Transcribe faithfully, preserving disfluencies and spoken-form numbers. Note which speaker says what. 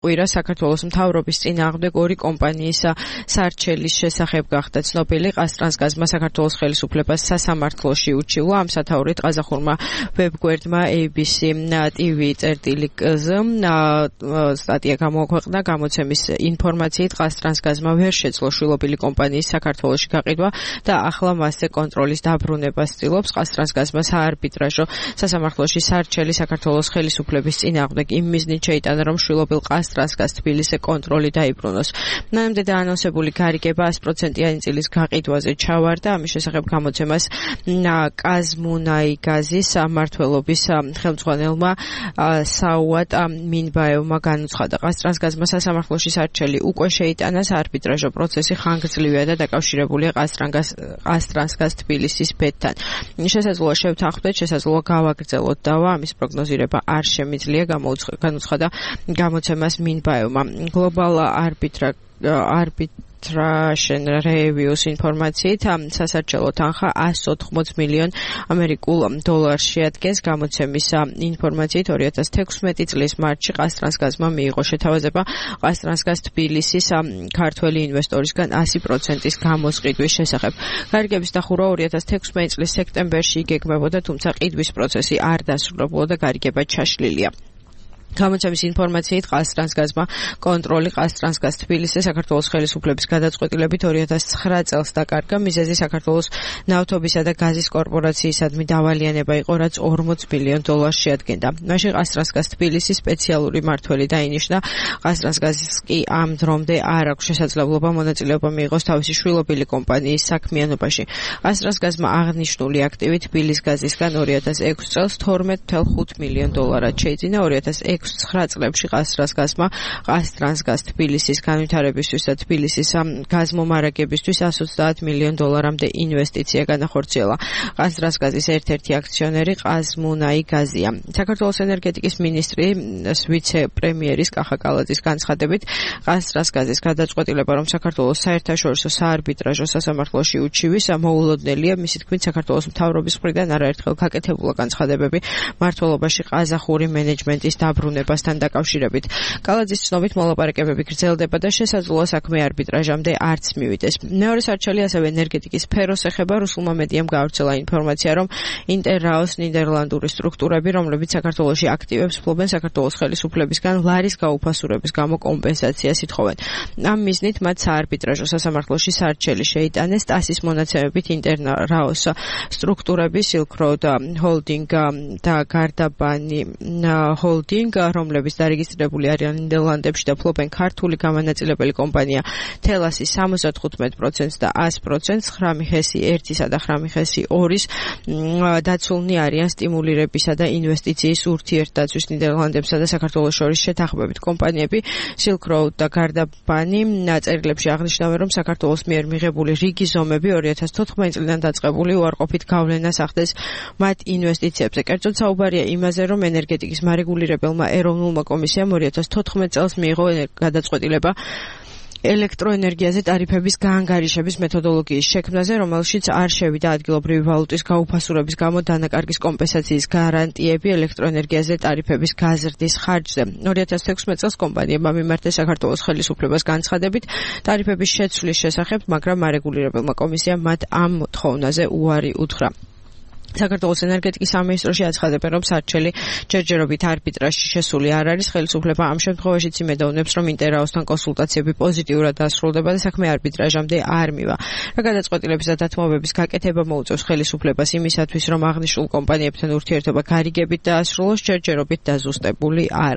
Speaker 1: ყვირა საქართველოს მთავრობის წინააღმდეგ ორი კომპანიის სარჩელის შესახებ გახდა ცნობილი. ყაზტრანსგაზმა საქართველოს ხელისუფლებას სასამართლოში უჩივლა. ამ სათაურით ყაზახურმა ვებგვერდმა A B C T V წერტილი კ-ზე სტატია გამოაქვეყნა. გამოცემის ინფორმაციით ყაზტრანსგაზმა ვერ შეძლო შვილობილი კომპანიის საქართველოში გაყიდვა და ახლა მასზე კონტროლის დაბრუნებას ცდილობს. ყაზტრანსგაზმა საარბიტრაჟო სასამართლოში სარჩელი საქართველოს ხელისუფლების წინააღმდეგ იმ მიზნით შეიტანა, რომ შვილობილ ტრანსგაზ თბილისზე კონტროლი დაიბრუნოს. მანამდე დაანონსებული გარიგება sto პროცენტიანი წილის გაყიდვაზე ჩავარდა. ამის შესახებ გამოცემას კაზმუნაიგაზის მმართველობის ხელმძღვანელმა საუატ მინბაევმა განუცხადა. ყაზტრანსგაზმა სასამართლოში სარჩელი უკვე შეიტანა. საარბიტრაჟო პროცესი ხანგრძლივია და დაკავშირებულია ყაზტრანსგაზ თბილისის ბედთან. შესაძლოა შევთანხმდეთ, შესაძლოა გავაგრძელოთ დავა. ამის პროგნოზირება არ შემიძლია, განუცხადა გამოცემას მინბაევმა. Global Arbitra Arbitration Reviews ინფორმაციით სასარჩელო თანხა sto ოთხმოცდ მილიონ ამერიკულ დოლარს შეადგენს. გამოცემის ინფორმაციით ორი ათას თექვსმეტი წლის მარტში ყაზტრანსგაზმა მიიღო შეთავაზება ყაზტრანსგაზ თბილისის ქართველი ინვესტორისგან sto პროცენტის გამოსყიდვის შესახებ. გარიგების დახურვა ორი ათას თექვსმეტი წლის სექტემბერში იგეგმებოდა, თუმცა ყიდვის პროცესი არ დასრულებულა და გარიგება ჩაშლილია. გამოცემის ინფორმაციით ყაზტრანსგაზმა კონტროლი ყაზტრანსგაზ თბილისზე საქართველოს ხელისუფლების გადაწყვეტილებით ორი ათას ცხრა წელს დაკარგა. მიზეზი საქართველოს ნავთობისა და გაზის კორპორაციისადმი დავალიანება იყო, რაც ორმოც მილიონ დოლარს შეადგენდა. მაშინ ყაზტრანსგაზ თბილისის სპეციალური მმართველი დაინიშნა. ყაზტრანსგაზს კი ამ დრომდე არ აქვს შესაძლებლობა მონაწილეობა მიიღოს თავისი შვილობილი კომპანიის საქმიანობაში. ყაზტრანსგაზმა აღნიშნული აქტივი თბილის გაზისგან ორი ათას ექვსი წელს თორმეტ ათას ოცდაათი მილიონ დოლარად შეიძინა. ორი ათას ცხრა წლებში ყაზტრანსგაზმა ყაზტრანსგაზ თბილისის განვითარებისთვის და თბილისის გაზმომარაგებისთვის sto ოცდაათი მილიონ დოლარამდე ინვესტიცია განახორციელა. ყაზტრანსგაზის ერთ-ერთი აქციონერი ყაზმუნაიგაზია. საქართველოს ენერგეტიკის მინისტრის ვიცე-პრემიერის კახა კალაძის განცხადებით, ყაზტრანსგაზის გადაწყვეტილება, რომ საქართველოს საერთაშორისო საარბიტრაჟო სასამართლოში უჩივის, მოულოდნელია. მისი თქმით, საქართველოს მთავრობის მხრიდან არაერთხელ გაკეთებულა განცხადებები მმართველობაში ყაზახური მენეჯმენტის დაბრუნებასთან დაკავშირებით. კალაძის ცნობით, მოლაპარაკებები გრძელდება და შესაძლოა საქმე არბიტრაჟამდე არც მივიდეს. მეორე სარჩელი ასევე ენერგეტიკის სფეროს ეხება. რუსულმა მედიამ გაავრცელა ინფორმაცია, რომ ინტერრაოს ნიდერლანდური სტრუქტურები, რომლებიც საქართველოში აქტივებს, ფლობენ საქართველოს ხელისუფლებისგან ლარის გაუფასურების გამო კომპენსაციას ითხოვენ. ამ მიზნით მათ საარბიტრაჟო სასამართლოში სარჩელი შეიტანეს. ტასის მონაცემებით ინტერრაოს სტრუქტურები Silk Road Holding და გარდაბანი Holding, რომლებიც დარეგისტრირებული არიან ნიდერლანდებში და ფლობენ ქართული გამანაწილებელი კომპანია თელასის სამოცდათხუთმეტ პროცენტს და ას პროცენტს, ხრამიხესი ერთისა და ხრამიხესი ორის დაცულნი არიან სტიმულირებისა და ინვესტიციის ურთიერთდაცვის ნიდერლანდებსა და საქართველოს შორის შეთანხმებით. კომპანიები Silk Road და გარდაბანი წერილებში აღნიშნავენ, რომ საქართველოს მიერ მიღებული რიგი ზომები ორი ათას თოთხმეტი წლიდან დაწყებული უარყოფით გავლენას ახდენს მათ ინვესტიციებზე. კერძოდ საუბარია იმაზე, რომ ენერგეტიკის მარეგულირებელმა ეროვნულმა კომისიამ ორი ათას თოთხმეტი წელს მიიღო გადაწყვეტილება ელექტროენერგიაზე ტარიფების გაანგარიშების მეთოდოლოგიის შექმნაზე, რომელშიც არ შევიდა ადგილობრივი ვალუტის გაუფასურების გამო დანაკარგის კომპენსაციის გარანტიები ელექტროენერგიაზე ტარიფების გაზრდის ხარჯზე. ორი ათას თექვსმეტი წელს კომპანიებმა მიმართეს საქართველოს ხელისუფლებას განცხადებით ტარიფების შეცვლის შესახებ, მაგრამ მარეგულირებელმა კომისიამ მათ ამ მოთხოვნაზე უარი უთხრა. საქართველოს ენერგეტიკის სამინისტროში აცხადებენ, რომ სარჩელი ჯერჯერობით არბიტრაჟში შესული არ არის. ხელისუფლება ამ შემთხვევაშიც იმედოვნებს, რომ ინტერრაოსთან კონსულტაციები პოზიტიურად დასრულდება და საქმე არბიტრაჟამდე არ მივა. რა გადაწყვეტილების და დათმობების გაკეთება მოუწევს ხელისუფლებას იმისათვის, რომ აღნიშნულ კომპანიებთან ურთიერთობა გარიგებით დაასრულოს, ჯერჯერობით დაზუსტებული არ